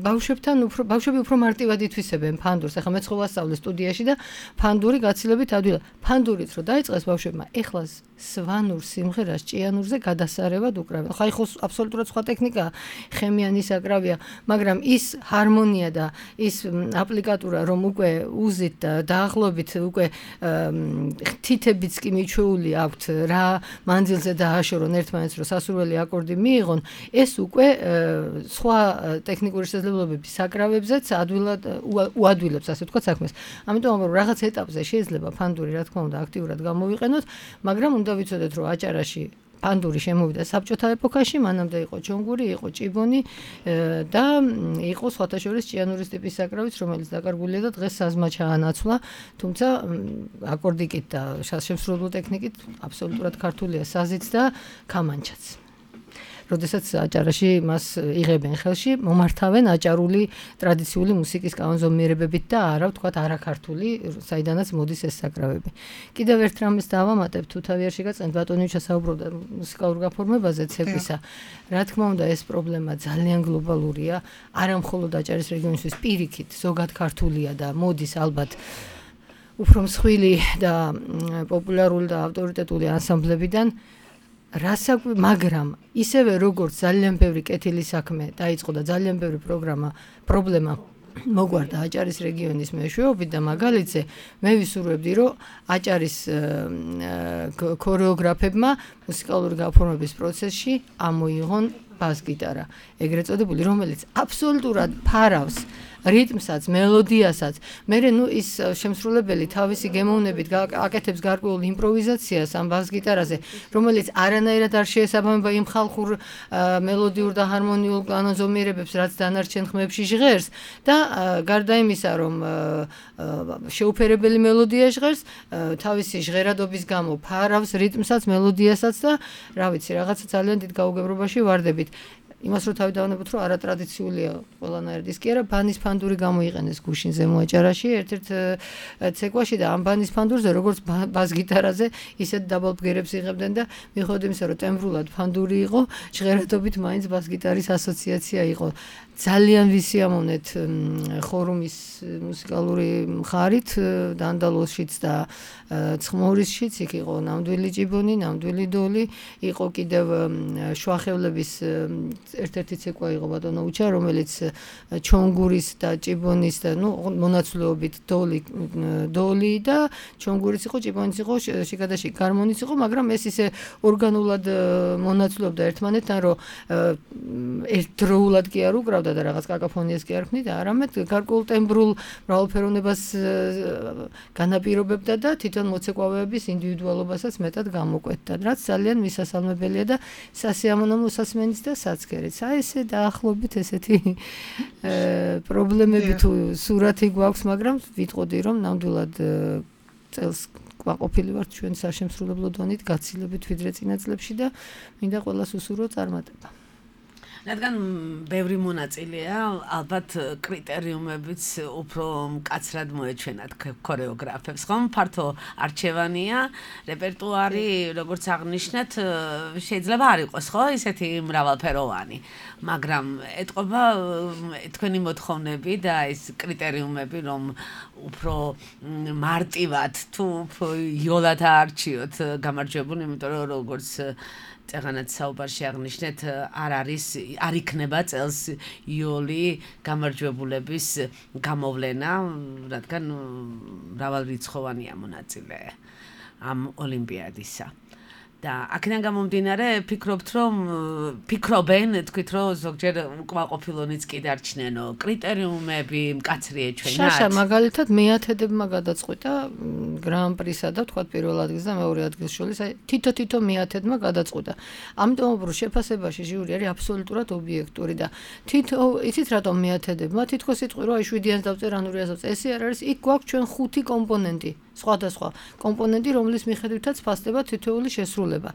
ბავშვებთან უფრო ბავშვები უფრო მარტივად ითვისებენ ფანდურს. ახლა მე ხო ვასწავლე სტუდიაში და ფანდური გაცილებით ადვილად. ფანდურით რო დაიწყეს ბავშვებმა, ეხლა სვანურ სიმღერას ჭიანურზე გადასარევად უკრავენ. ხა ხო აბსოლუტურად სხვა ტექნიკაა, ხემიანი საკრავია, მაგრამ ის ჰარმონია და ის აპლიკატურა, რომ უკვე უზით და დაახლოებით უკვე თითებიც კი მიჩვეული აქვთ რა მანძილზე დააშორონ ერთმანეთს, რომ სასურველი აკორდი მიიღონ, ეს უკვე სხვა ტექნიკური შესაძლებლობების საკრავებზეც ადვილად უადვილებს, ასე ვთქვათ, საქმეს. ამიტომ რომ რაღაც ეტაპზე შეიძლება ფანდური, რა თქმა უნდა, აქტიურად გამოვიყენოთ, მაგრამ უნდა ვიცოდეთ, რომ აჭარაში ფანდური შემოვიდა საბჭოთა ეპოქაში, მანამდე იყო ჩონგური, იყო ჭიბონი და იყო სხვათა შორის ჭიანურის ტიპის საკრავიც, რომელიც დაკარგულია და დღეს საზმა ჩაანაცვლა, თუმცა აკორდიკით და შემსრულებლო ტექნიკით აბსოლუტურად ქართულია საზიც და კამანჩაც. როდესაც აჭარაში მას იღებენ ხელში, მომართავენ აჭარული ტრადიციული მუსიკის კანონზომიერებებით და არა ვთქვათ არაქართული, საიდანაც მოდის ეს საკრავები. კიდევ ერთ რამეს დავამატებ, თუ თავი არ შეგაწევთ, ბატონი ჩასაუბრობდა მუსიკალურ გაფორმებაზე ცეკვისა. რა თქმა უნდა, ეს პრობლემა ძალიან გლობალურია, არა მხოლოდ აჭარის რეგიონისთვის, პირიქით, ზოგად ქართულია და მოდის ალბათ უფრო მსხვილი და პოპულარული და ავტორიტეტული ანსამბლებიდან. რასაკვი, მაგრამ ისევე როგორც ძალიან ბევრი კეთილი საქმე დაიწყო და ძალიან ბევრი პროგრამა, პრობლემა მოგვარდა აჭარის რეგიონის მეშვეობით და მაგალითზე მე ვისურვებდი, რომ აჭარის ქორეოგრაფებმა მუსიკალური გაფორმების პროცესში ამოიღონ ბას-გიტარა, ეგრეთ წოდებული, რომელიც აბსოლუტურად ფარავს რიტმსაც, მელოდიასაც. მე ნუ ის შემსრულებელი თავისი გემოვნებით აკეთებს გარკვეულ იმპროვიზაციას ამ ბას-გიტარაზე, რომელიც არანაირად არ შეესაბამება იმ ხალხურ მელოდიურ და ჰარმონიულ კანონზომიერებებს, რაც დანარჩენ ხმებში ჟღერს და გარდა იმისა, რომ შეუფერებელი მელოდია ჟღერს, თავისი ჟღერადობის გამო ფარავს რიტმსაც, მელოდიასაც და რა ვიცი, რაღაცა ძალიან დიდ გაუგებრობაში ვარდებით. იმას რო თავი დავანებოთ, რომ არატრადიციულია ყველანაირი დისკი არა, ბანის ფანდური გამოიყენეს გუშინზე მოაჭარაში ერთ-ერთ ცეკვაში და ამ ბანის ფანდურზე როგორც ბას-გიტარაზე ისეთ დაბალ ბგერებს იღებდნენ და მიუხედავად იმისა, რომ ტემბრულად ფანდური იყო, ჟღერადობით მაინც ბას-გიტარის ასოციაცია იყო. ძალიან ვისიამოვნეთ ხორუმის მუსიკალური მხარით, დანდალოსშიც და ცხმორისშიც, იქ იყო ნამდვილი ჭიბონი, ნამდვილი დოლი, იყო კიდევ შუახევლების ერთ-ერთი ცეკვა იყო ბატონო უჩა, რომელიც ჩონგურის და ჭიბონის და ნუ მონაცვლეობით დოლი დოლი და ჩონგურის იყო, ჭიბონის იყო, შიგადაში გარმონიც იყო, მაგრამ ეს ისე ორგანულად მონაცვლეობდა ერთმანეთთან, რომ ერთდროულად კი არ უკრავდა და რაღაც კაკაფონიას კი არ ქმნიდა, არამედ გარკვეულ ტემბრულ მრავალფეროვნებას განაპირობებდა და თვითონ მოცეკვავეების ინდივიდუალობასაც მეტად გამოკვეთდა, რაც ძალიან მისასალმებელია და სასიამოვნო მოსასმენიც და საცქერიც. აი ესე დაახლოებით ესეთი პრობლემები თუ სურათი გვაქვს, მაგრამ ვიტყოდი, რომ ნამდვილად წელს ყვაყოფილი ვართ ჩვენ საშემსრულებლო დონით გაცილებით ვიდრე წინა წლებში და მინდა ყველას უსურვო წარმატება. რადგან ბევრი მონაწილეა, ალბათ კრიტერიუმებიც უფრო მკაცრად მოეჩვენათ ქორეოგრაფებს, ხომ? ფართო არჩევანია, რეპერტუარი, როგორც აღნიშნეთ, შეიძლება არ იყოს, ხო? ისეთი მრავალფეროვანი, მაგრამ ეთყობა თქვენი მოთხოვნები და ეს კრიტერიუმები, რომ უფრო მარტივად თუ უფრო იოლად აარჩიოთ გამარჯვებული, იმიტომ რომ როგორც წეღანაც საუბარში აღნიშნეთ, არ არის, არ იქნება წელს იოლი გამარჯვებულების გამოვლენა, რადგან მრავალრიცხოვანია მონაწილე ამ ოლიმპიადისა. და აქედან გამომდინარე ფიქრობთ რომ ფიქრობენ თქვით რომ ზოგჯერ უკმაყოფილონიც კი დარჩნენო კრიტერიუმები მკაცრი ეჩვენათ შაშა მაგალითად მეათედებმა გადაწყვიტა გრან-პრისა და თქვათ პირველ ადგილს და მეორე ადგილს შორის აი თითო-თითო მეათედმა გადაწყვიტა ამიტომ უბრალოდ შეფასებაში ჟიური არის აბსოლუტურად ობიექტური და თითო იცით რატომ მეათედებმა თითქოს იტყვი რომ აი შვიდიანს დავწერ ან ორიას დავწერ ესე არ არის იქ გვაქვს ჩვენ ხუთი კომპონენტი სხვადასხვა კომპონენტი რომლის მიხედვითაც ფასდება თითოეული შესრულება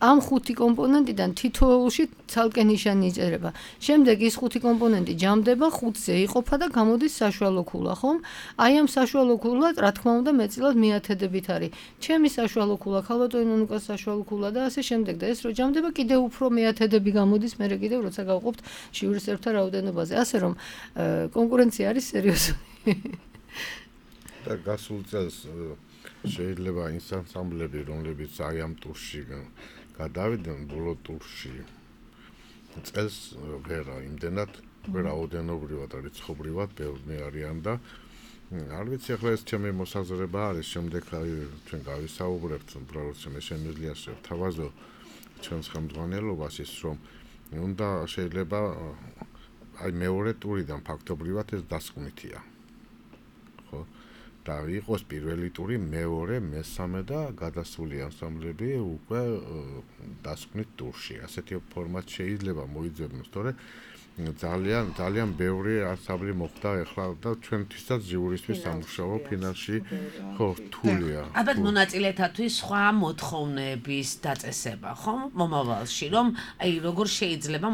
ამ ხუთი კომპონენტიდან თითოეულში ცალკე ნიშანი იწერება შემდეგ ის ხუთი კომპონენტი ჯამდება ხუთზე იყოფა და გამოდის საშუალო ქულა ხომ აი ამ საშუალო ქულად რა თქმა უნდა მეტწილად მეათედებით არის ჩემი საშუალო ქულა ქალბატონი ნუნუკას საშუალო ქულა და ასე შემდეგ და ეს რო ჯამდება კიდევ უფრო მეათედები გამოდის მერე კიდევ როცა გავყოფთ ჟიურისებრთა რაოდენობაზე ასე რომ კონკურენცია არის სერიოზული და გასულ წელს შეიძლება ის ანსამბლები რომლებიც აი ამ ტურში გადავიდნენ ბოლო ტურში წელს ვერა იმდენად რაოდენობრივად და რიცხობრივად ბევრი არიან და არ ვიცი ახლა ეს ჩემი მოსაზრება არის შემდეგ აი ჩვენ გავისაუბრებთ უბრალოდ შემიძლია შევთავაზო ჩვენს ხელმძღვანელობას ის რომ უნდა შეიძლება აი მეორე ტურიდან ფაქტობრივად ეს დასკვნითია ხო და იყოს პირველი ტური, მეორე, მესამე და გადასული ანსამბლები უკვე დასკვნით ტურში. ასეთი ფორმატ შეიძლება მოიძებნოს, თორე ძალიან ძალიან ბევრი ანსამბლი მოხდა ახლა და ჩვენთვისაც ჟიურისთვის სამუშაო ფინალში ხო რთულია. ალბათ მონაწილეთათვის სხვა მოთხოვნების დაწესება, ხო? მომავალში, რომ აი როგორ შეიძლება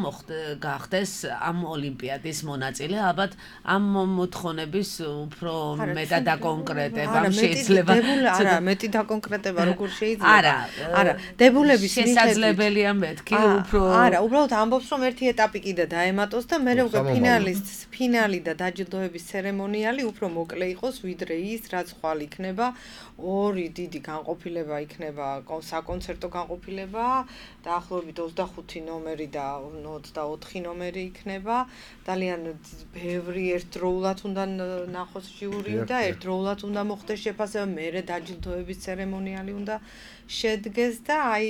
გახდეს ამ ოლიმპიადის მონაწილე, ალბათ ამ მოთხოვნების უფრო მეტად დაკონკრეტება შეიძლება. არა, მეტი დაკონკრეტება როგორ შეიძლება? არა, არა, დებულების შესაძლებელია მეთქი უფრო. არა, უბრალოდ ამბობს რომ ერთი ეტაპი კიდე დაემატოს და მე უკვე ფინალისტს ფინალი და დაჯილდოების ცერემონიალი უფრო მოკლე იყოს ვიდრე ის რაც ხვალ იქნება ორი დიდი განყოფილება იქნება საკონცერტო განყოფილება დაახლოებით ოცდახუთი ნომერი და ოცდაოთხი ნომერი იქნება ძალიან ბევრი ერთდროულად უნდა ნახოს ჟიური და ერთდროულად უნდა მოხდეს შეფასება მერე დაჯილდოების ცერემონიალი უნდა შედგეს და აი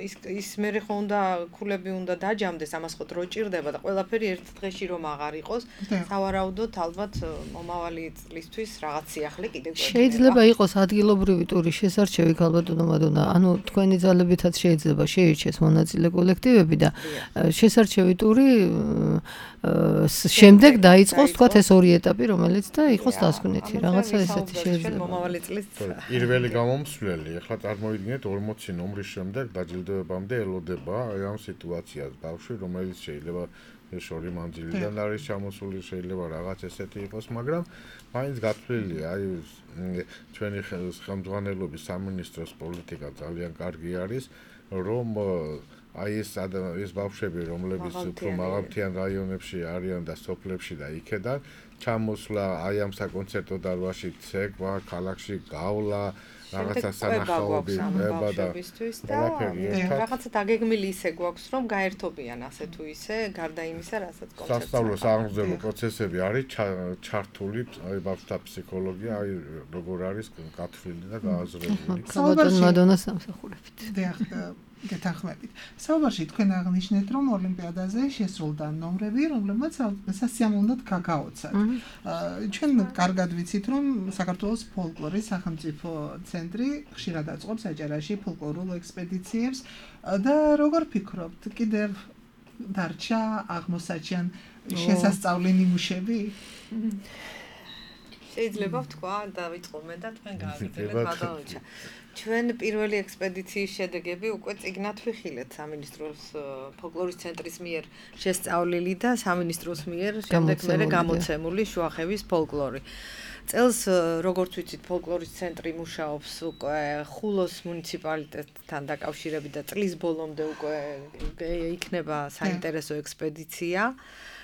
ის ის მერე ხო უნდა ქულები უნდა დაჯამდეს ამას ხო დრო ჭირდება და ყველაფერი ერთ დღეში რომ აღარ იყოს სავარაუდოდ ალბათ მომავალი წლისთვის რაღაც სიახლე კიდევ შეიძლება იყოს ადგილობრივი ტურის შესარჩევი ქალბატონო მადონა ანუ თქვენი ძალებითაც შეიძლება შეირჩეს მონაწილე კოლექტივები და შესარჩევი ტური შემდეგ დაიწყოს თქვათ ეს ორი ეტაპი რომელიც და იყოს დასკვნითი რაღაცა ესეთი შეიძლება მომავალი წლის პირველი გამომსვლელი ახლა წარმოიდგინეთ ორმოცი ნომრის შემდეგ დაჯილდოებამდე ელოდება აი ამ სიტუაციას ბავშვი რომელიც შეიძლება შორი მანძილიდან არის ჩამოსული შეიძლება რაღაც ესეთი იყოს მაგრამ მაინც გათვლილია აი ჩვენი ხელმძღვანელობის სამინისტროს პოლიტიკა ძალიან კარგი არის რომ აი ეს ეს ბავშვები რომლებიც უფრო მაღალმთიან რაიონებში არიან და სოფლებში და იქედან ჩამოსვლა აი ამ საკონცერტო დარბაზში ცეკვა ქალაქში გავლა რაღაცა სანახაობი ნება და რაღაცა დაგეგმილი ისე გვაქვს რომ გაერთობიან ასე თუ ისე გარდა იმისა რასაც კონცერტს სასწავლო სააღმრძელო პროცესები არის ჩართული აი ბავშვთა ფსიქოლოგია აი როგორ არის გათვლილი და გააზრებული საბატონო მადონა სამსახურებით გეთანხმებით. საუბარში თქვენ აღნიშნეთ, რომ ოლიმპიადაზე შესრულდა ნომრები, რომლებმაც სასიამოვნოდ გაგაოცათ. ჩვენ კარგად ვიცით, რომ საქართველოს ფოლკლორის სახელმწიფო ცენტრი ხშირად აწყობს აჭარაში ფოლკლორულ ექსპედიციებს და როგორ ფიქრობთ, კიდევ დარჩა აღმოსაჩენ შესასწავლი ნიმუშები? შეიძლება ვთქვა, დავიწყო მე და თქვენ გააგრძელებთ ბატონოჩა. ჩვენ პირველი ექსპედიციის შედეგები უკვე წიგნად ვიხილეთ სამინისტროს ფოლკლორის ცენტრის მიერ შესწავლილი და სამინისტროს მიერ შემდეგ მერე გამოცემული შუახევის ფოლკლორი. წელს როგორც ვიცით ფოლკლორის ცენტრი მუშაობს უკვე ხულოს მუნიციპალიტეტთან დაკავშირებით და წლის ბოლომდე უკვე იქნება საინტერესო ექსპედიცია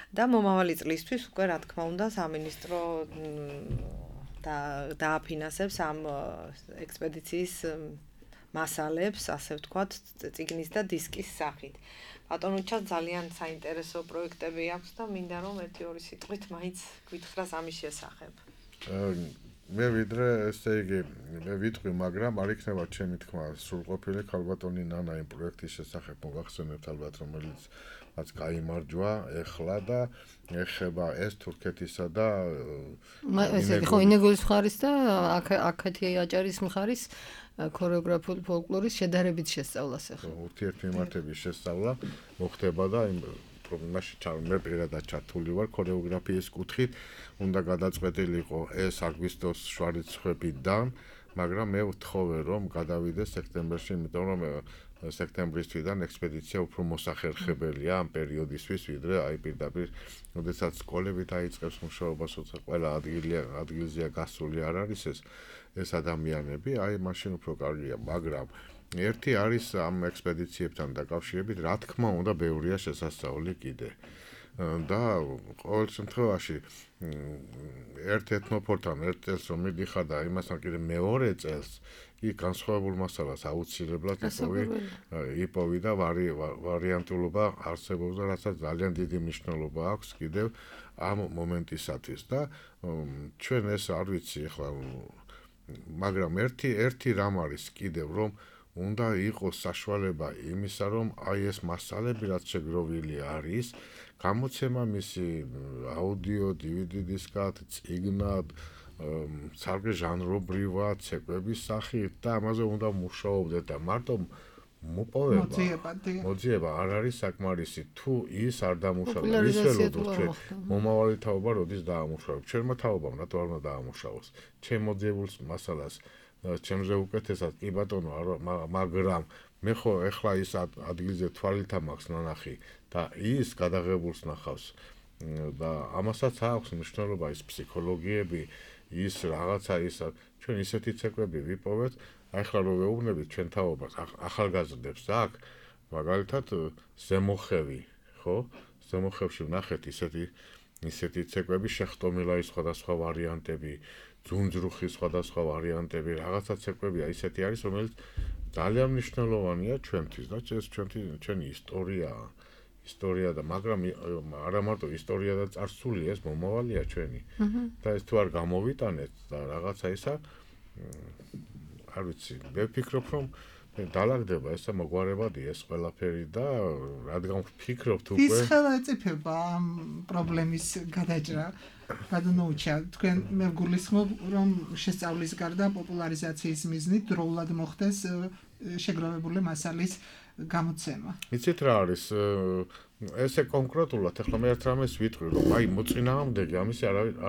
და მომავალი წლისთვის უკვე რა თქმა უნდა სამინისტრო და დააფინანსებს ამ ექსპედიციის მასალებს, ასე ვთქვათ, წიგნის და დისკის სახით. ბატონოჩას ძალიან საინტერესო პროექტები აქვს და მინდა რომ ერთი ორი სიტყვით მაინც გითხრას ამის შესახებ. მე ვიდრე ესე იგი მე ვიტყვი, მაგრამ არ იქნება ჩემი თქმა სრულყოფილი ქალბატონი ნანა იმ პროექტის შესახებ მოგახსენებთ ალბათ, რომელიც რაც გაიმარჯვა ეხლა და ეხება ეს თურქეთისა და ესე იგი ხო ინეგოლის მხარის და აქეთი აჭარის მხარის ქორეოგრაფიული ფოლკლორის შედარებით შესწავლას ეხლა. ურთიერთმემართების შესწავლა მოხდება და იმ პრობლემაში მე პირადად ჩართული ვარ ქორეოგრაფიის კუთხით, უნდა გადაწყვეტილიყო ეს აგვისტოს შვარიცხვებიდან, მაგრამ მე ვთხოვე რომ გადავიდე სექტემბერში, იმიტომ რომ სექტემბრის თვიდან ექსპედიცია უფრო მოსახერხებელია ამ პერიოდისთვის, ვიდრე აი პირდაპირ, როდესაც სკოლები დაიწყებს მუშაობას, როცა ყველა ადგილია ადგილზეა გასული არ არის ეს ეს ადამიანები, აი მაშინ უფრო კარგია, მაგრამ ერთი არის ამ ექსპედიციებთან დაკავშირებით, რა თქმა უნდა, ბევრია შესასწავლი კიდე. და ყოველ შემთხვევაში ერთ ეთნოფორთან ერთ წელს რომ მიდიხარ და იმასთან კიდე მეორე წელს იქ განსხვავებულ მასალას აუცილებლად იპოვი იპოვი და ვარიანტულობა არსებობს და რასაც ძალიან დიდი მნიშვნელობა აქვს კიდევ ამ მომენტისათვის და ჩვენ ეს არ ვიცი ახლა მაგრამ ერთი ერთი რამ არის კიდევ რომ უნდა იყოს საშუალება იმისა რომ აი ეს მასალები რაც შეგროვილი არის გამოცემა მისი აუდიო დი ვი დი დისკად წიგნად სარგე ჟანრობრივად ცეკვების სახით და ამაზე უნდა მუშაობდეთ და მარტო მოპოვება მოძიება არ არის საკმარისი თუ ის არ დამუშავდა ის ველოდოთ მომავალი თაობა როდის დაამუშავებ ჩემმა თაობამ რატო არ უნდა დაამუშავოს ჩემ მოძიებულ მასალას ჩემზე უკეთესად კი ბატონო მაგრამ მე ხო ეხლა ის ადგილზე თვალით მაქვს ნანახი და ის გადაღებულს ნახავს და ამასაც აქვს მნიშვნელობა ის ფსიქოლოგიები ის რაღაცა ის ჩვენ ისეთი ცეკვები ვიპოვეთ აი ხლა რო ვეუბნებით ჩვენ თაობას ახალგაზრდებს აქ მაგალითად ზემოხევი ხო ზემოხევში ვნახეთ ისეთი ისეთი ცეკვები შეხტომილაის სხვადასხვა ვარიანტები ძუნძრუხის სხვადასხვა ვარიანტები რაღაცა ცეკვებია ისეთი არის რომელიც ძალიან მნიშვნელოვანია ჩვენთვის და ეს ჩვენი ჩვენი ისტორიაა ისტორია და მაგრამ არა მარტო ისტორია და წარსული ეს მომავალია ჩვენი და ეს თუ არ გამოვიტანეთ და რაღაცა ისა არ ვიცი მე ვფიქრობ რომ დალაგდება ესა მოგვარებადი ეს ყველაფერი და რადგან ვფიქრობთ უკვე ის ხელაწიფება ამ პრობლემის გადაჭრა გადმოუჩა თქვენ მე გულისხმობ რომ შესწავლის გარდა პოპულარიზაციის მიზნით დროულად მოხდეს შეგროვებული მასალის გამოცემა. იცით რა არის ესე კონკრეტულად ახლა მე ერთ რამეს ვიტყვი რომ აი მოწინააღმდეგე ამის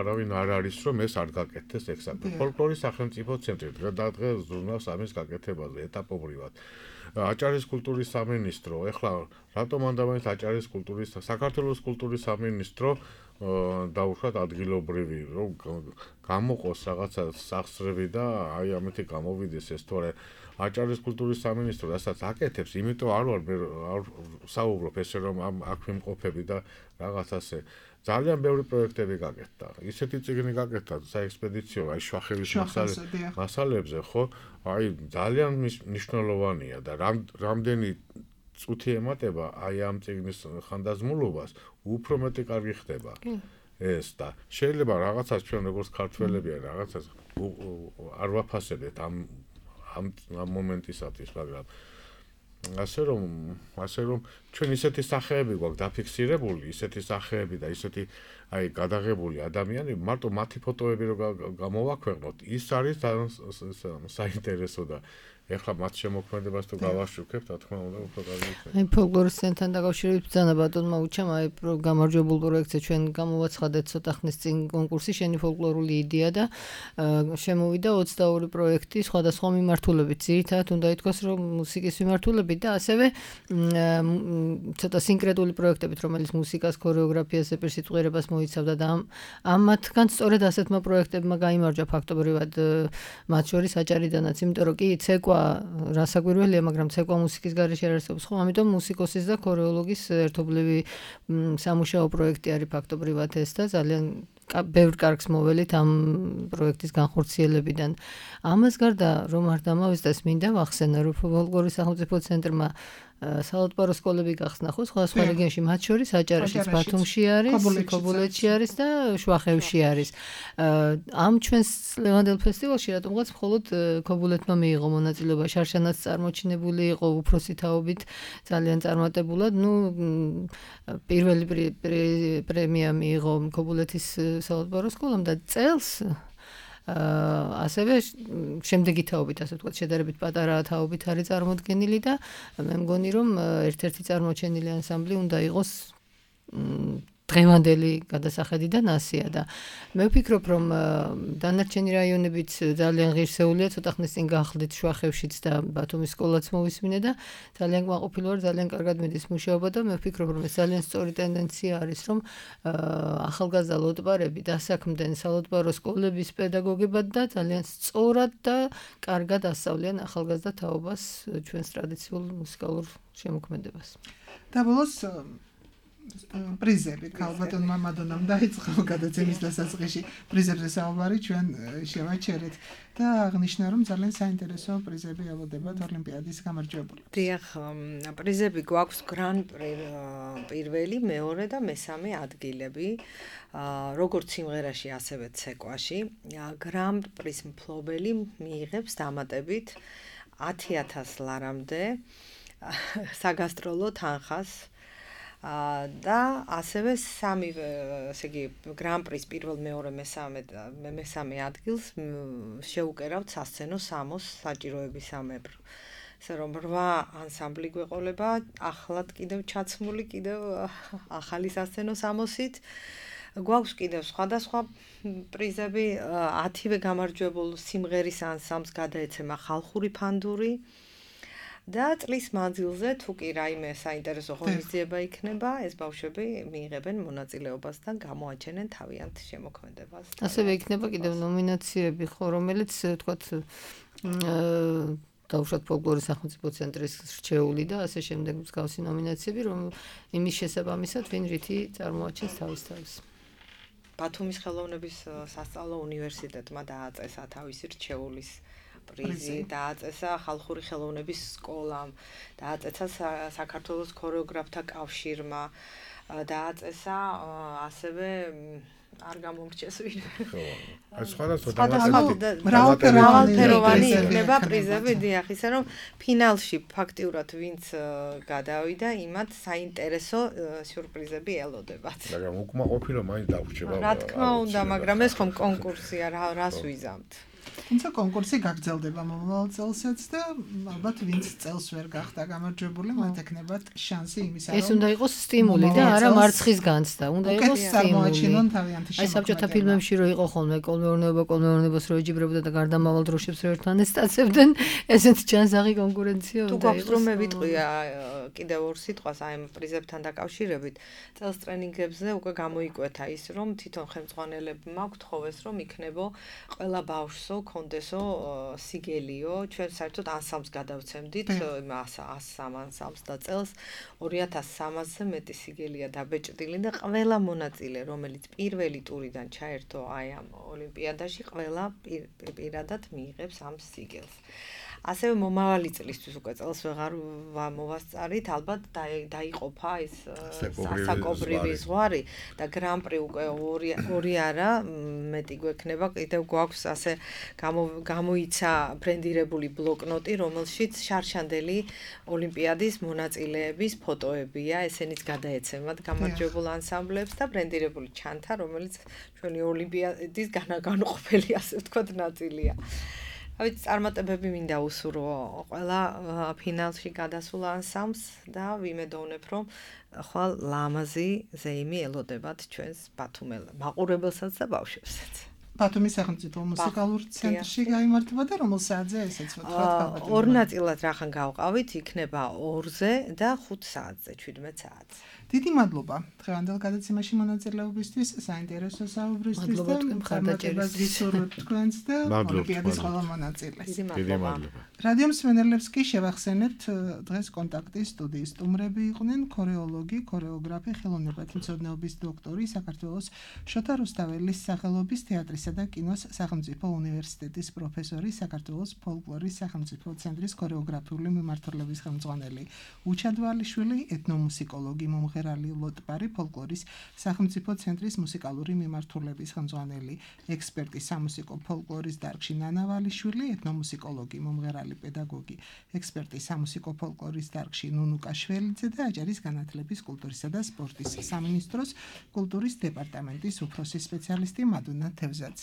არავინ არ არის რომ ეს არ გაკეთდეს ეგ საქმე. ფოლკლორის სახელმწიფო ცენტრი დღე-დღე ზრუნავს ამის გაკეთებაზე ეტაპობრივად. აჭარის კულტურის სამინისტრო ახლა რატომ ანდამაინც აჭარის კულტურის საქართველოს კულტურის სამინისტრო დაუშვათ ადგილობრივი რომ გამოყოს რაღაცა სახსრები და აი ამეთი გამოვიდეს ეს თორე აჭარის კულტურის სამინისტრო რასაც აკეთებს, იმიტომ არ ვარ არ საუბრობ ესე რომ ამ აქ ვიმყოფები და რაღაც ასე ძალიან ბევრი პროექტები გაკეთდა. ისეთი წიგნი გაკეთდა საექსპედიციო აი შვახევის მასალებზე, ხო? აი ძალიან მნიშვნელოვანია და რამდენი წუთი ემატება აი ამ წიგნის ხანდაზმულობას, უფრო მეტი კარგი ხდება. ეს და შეიძლება რაღაცას ჩვენ როგორც ქართველები რაღაცას არ ვაფასებთ ამ ამ მომენტისათვის, მაგრამ ასე რომ ასე რომ ჩვენ ისეთი სახეები გვაქვს დაფიქსირებული, ისეთი სახეები და ისეთი აი გადაღებული ადამიანები, მარტო მათი ფოტოები რო გამოვაქვეყნოთ, ის არის საინტერესო და ეხლა მათ შემოქმედებას თუ გავაშუქებთ, რა თქმა უნდა, უფრო კარგი იქნება. აი ფოლკლორის ცენტრთან დაკავშირებით ბრძანა ბატონმა უჩამ აი გამარჯვებულ პროექტზე ჩვენ გამოვაცხადეთ ცოტა ხნის წინ კონკურსი შენი ფოლკლორული იდეა და შემოვიდა ოცდაორი პროექტი სხვადასხვა მიმართულებით. ძირითადად უნდა ითქვას, რომ მუსიკის მიმართულებით და ასევე ცოტა სინკრეტული პროექტებით, რომელიც მუსიკას, ქორეოგრაფიას, ეპერსიტყვიერებას მოიცავდა და ამ მათგან სწორედ ასეთმა პროექტებმა გაიმარჯვა ფაქტობრივად მათ შორის აჭარიდანაც, იმიტომ რომ კი ცეკვა რასაკვირველია, მაგრამ ცეკვა მუსიკის გარეშე არ არსებობს, ხო? ამიტომ მუსიკოსის და ქორეოლოგის ერთობლივი სამუშაო პროექტი არის ფაქტობრივად ეს და ძალიან ბევრ კარგს მოველით ამ პროექტის განხორციელებიდან. ამას გარდა რომ არ დამავიწყდეს, მინდა ვახსენო, რომ ფოლკლორის სახელმწიფო ცენტრმა საალატბარო სკოლები გახსნა ხო სხვა სხვა რეგიონში მათ შორის აჭარაშიც ბათუმში არის ქობულეთში არის და შუახევში არის ამ ჩვენს ლევანდელ ფესტივალში რატომღაც მხოლოდ ქობულეთმა მიიღო მონაწილეობა შარშანაც წარმოჩინებული იყო უფროსი თაობით ძალიან წარმატებულად ნუ პირველი პრემია მიიღო ქობულეთის საალატბარო სკოლამ და წელს ასევე შემდეგი თაობით ასე ვთქვათ შედარებით პატარა თაობით არის წარმოდგენილი და მე მგონი რომ ერთ-ერთი წარმოჩენილი ანსამბლი უნდა იყოს დღევანდელი გადასახედიდან ასია და მე ვფიქრობ რომ დანარჩენი რაიონებიც ძალიან ღირსეულია ცოტა ხნის წინ გახლდით შუახევშიც და ბათუმის სკოლაც მოვისმინე და ძალიან კმაყოფილი ვარ ძალიან კარგად მიდის მუშაობა და მე ვფიქრობ რომ ეს ძალიან სწორი ტენდენცია არის რომ ახალგაზრდა ლოტბარები დასაქმდნენ საალატბარო სკოლების პედაგოგებად და ძალიან სწორად და კარგად ასწავლიან ახალგაზრდა თაობას ჩვენს ტრადიციულ მუსიკალურ შემოქმედებას და ბოლოს პრიზები ქალბატონმა მადონამ დაიწყო გადაცემის დასაწყისში პრიზებზე საუბარი ჩვენ შევაჩერეთ და აღნიშნა რომ ძალიან საინტერესო პრიზები ელოდებათ ოლიმპიადის გამარჯვებულებს. დიახ, პრიზები გვაქვს გრან პირველი, მეორე და მესამე ადგილები, როგორც სიმღერაში, ასევე ცეკვაში. გრან პრის მფლობელი მიიღებს დამატებით ათი ათას ლარამდე საგასტროლო თანხას და ასევე სამი ესე იგი გრან პრის პირველ მეორე მესამე მესამე ადგილს შეუკერავთ სასცენო სამოს საჭიროებისამებრ. ესე რომ რვა ანსამბლი გვეყოლება, ახლად კიდევ ჩაცმული კიდევ ახალი სასცენო სამოსით. გვაქვს კიდევ სხვადასხვა პრიზები, ათივე გამარჯვებულ სიმღერის ანსამბლს გადაეცემა ხალხური ფანდური. და წლის მანძილზე თუ კი რაიმე საინტერესო ღონისძიება იქნება, ეს ბავშვები მიიღებენ მონაწილეობას და გამოაჩენენ თავიანთ შემოქმედებას. ასევე იქნება კიდევ ნომინაციები, ხო, რომელიც თქვათ დაუშვათ ფოლკლორის სახელმწიფო ცენტრის რჩეული და ასე შემდეგ მსგავსი ნომინაციები, რომ იმის შესაბამისად ვინ რითი წარმოაჩენს თავის თავს. ბათუმის ხელოვნების სასწავლო უნივერსიტეტმა დააწესა თავისი რჩეულის პრიზი დააწესა ხალხური ხელოვნების სკოლამ, დააწესა საქართველოს ქორეოგრაფთა კავშირმა, დააწესა ასევე არ გამომრჩეს ვინ. ხო, სხვადასხვა მრავალფეროვანი იქნება პრიზები, დიახ, ისე რომ ფინალში ფაქტიურად ვინც გადავიდა, იმათ საინტერესო სიურპრიზები ელოდებათ. მაგრამ უკმაყოფილო მაინც დავრჩება. რა თქმა უნდა, მაგრამ ეს ხომ კონკურსია, რას ვიზამთ. თუმცა კონკურსი გაგრძელდება მომავალ წელსაც და ალბათ ვინც წელს ვერ გახდა გამარჯვებული, მათ ეკნებათ შანსი იმისა, რომ ეს უნდა იყოს სტიმული და არა მარცხის განცდა, უნდა იყოს სტიმული. აი საბჭოთა ფილმებში რო იყო ხოლმე კოლმეურნეობა კოლმეურნეობას რო ეჯიბრებოდა და გარდამავალ დროშებს რო ერთმან ესტაცებდნენ, ესეც ჯანსაღი კონკურენცია უნდა იყოს. თუ გვაქვს რომ მე ვიტყვია კიდევ ორ სიტყვას აი ამ პრიზებთან დაკავშირებით, წელს ტრენინგებზე უკვე გამოიკვეთა ის, რომ თვითონ ხელმძღვანელებმა გთხოვეს, რომ იქნებო ყველა ბავშვსო კონდესო სიგელიო, ჩვენ საერთოდ ანსამბლს გადავცემდით, იმას ასამ ანსამბლს და წელს ორი ათას სამასზე მეტი სიგელია დაბეჭდილი და ყველა მონაწილე, რომელიც პირველი ტურიდან ჩაერთო აი ამ ოლიმპიადაში, ყველა პირადად მიიღებს ამ სიგელს. ასევე მომავალი წლისთვის უკვე წელს ვეღარ მოვასწარით, ალბათ დაიყოფა ეს საკობრივი ზღვარი და გრან პრი უკვე ორი არა, მეტი გვექნება, კიდევ გვაქვს ასე გამოიცა ბრენდირებული ბლოკნოტი, რომელშიც შარშანდელი ოლიმპიადის მონაწილეების ფოტოებია, ესენიც გადაეცემათ გამარჯვებულ ანსამბლებს და ბრენდირებული ჩანთა, რომელიც ჩვენი ოლიმპიადის განუყოფელი ასე ვთქვათ ნაწილია. ავით წარმატებები მინდა უსურვო ყველა ფინალში გადასულ ანსამბლს და ვიმედოვნებ, რომ ხვალ ლამაზი ზეიმი ელოდებათ ჩვენს ბათუმელ მაყურებელსაც და ბავშვებსაც. ბათუმის სახელმწიფო მუსიკალურ ცენტრში გაიმართება და რომელ საათზე ესეც ვთქვათ? ორ ნაწილად რახან გავყავით, იქნება ორზე და ხუთ საათზე, შვიდმეტ საათზე. დიდი მადლობა დღევანდელ გადაცემაში მონაწილეობისთვის, საინტერესო საუბრისთვის და წარმატებას გისურვებთ თქვენს და ოლიმპიადის ყველა მონაწილეს. დიდი მადლობა. რადიო მსმენელებს კი შევახსენებთ, დღეს კონტაქტის სტუდიის სტუმრები იყვნენ ქორეოლოგი, ქორეოგრაფი, ხელოვნებათმცოდნეობის დოქტორი, საქართველოს შოთა რუსთაველის სახელობის თეატრისა თეატრისა და კინოს სახელმწიფო უნივერსიტეტის პროფესორი, საქართველოს ფოლკლორის სახელმწიფო ცენტრის ქორეოგრაფიული მიმართულების ხელმძღვანელი, უჩადვალიშვილი, ეთნომუსიკოლოგი, მომღერალი, ლოტბარი, ფოლკლორის სახელმწიფო ცენტრის მუსიკალური მიმართულების ხელმძღვანელი, ექსპერტი სამუსიკო ფოლკლორის დარგში ნანა ვალიშვილი, ეთნომუსიკოლოგი, მომღერალი, პედაგოგი, ექსპერტი სამუსიკო ფოლკლორის დარგში ნუნუკა შველიძე და აჭარის განათლების, კულტურისა და სპორტის სამინისტროს კულტურის დეპარტამენტის უფროსი სპეციალისტი მადუნა თევზაძე.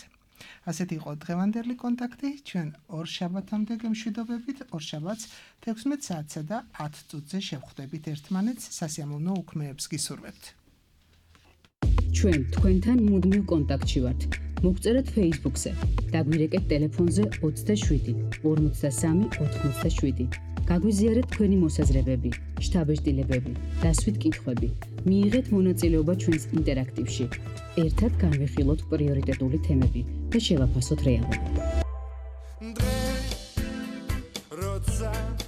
ასეთი იყო დღევანდელი კონტაქტი, ჩვენ ორ შაბათამდე გემშვიდობებით, ორ შაბათს თექვსმეტ საათსა და ათ წუთზე შევხვდებით ერთმანეთს, სასიამოვნო უქმეებს გისურვებთ. ჩვენ თქვენთან მუდმივ კონტაქტში ვართ. მოგწერეთ Facebook-ზე, დაგვირეკეთ ტელეფონზე ოცდაშვიდი ორმოცდასამი ოთხმოცდაშვიდი. გაგვიზიარეთ თქვენი მოსაზრებები, შთაბეჭდილებები, დასვით კითხვები. მიიღეთ მონაწილეობა ჩვენს ინტერაქტივში. ერთად განვიხილოთ პრიორიტეტული თემები და შევაფასოთ რეალობა. Roza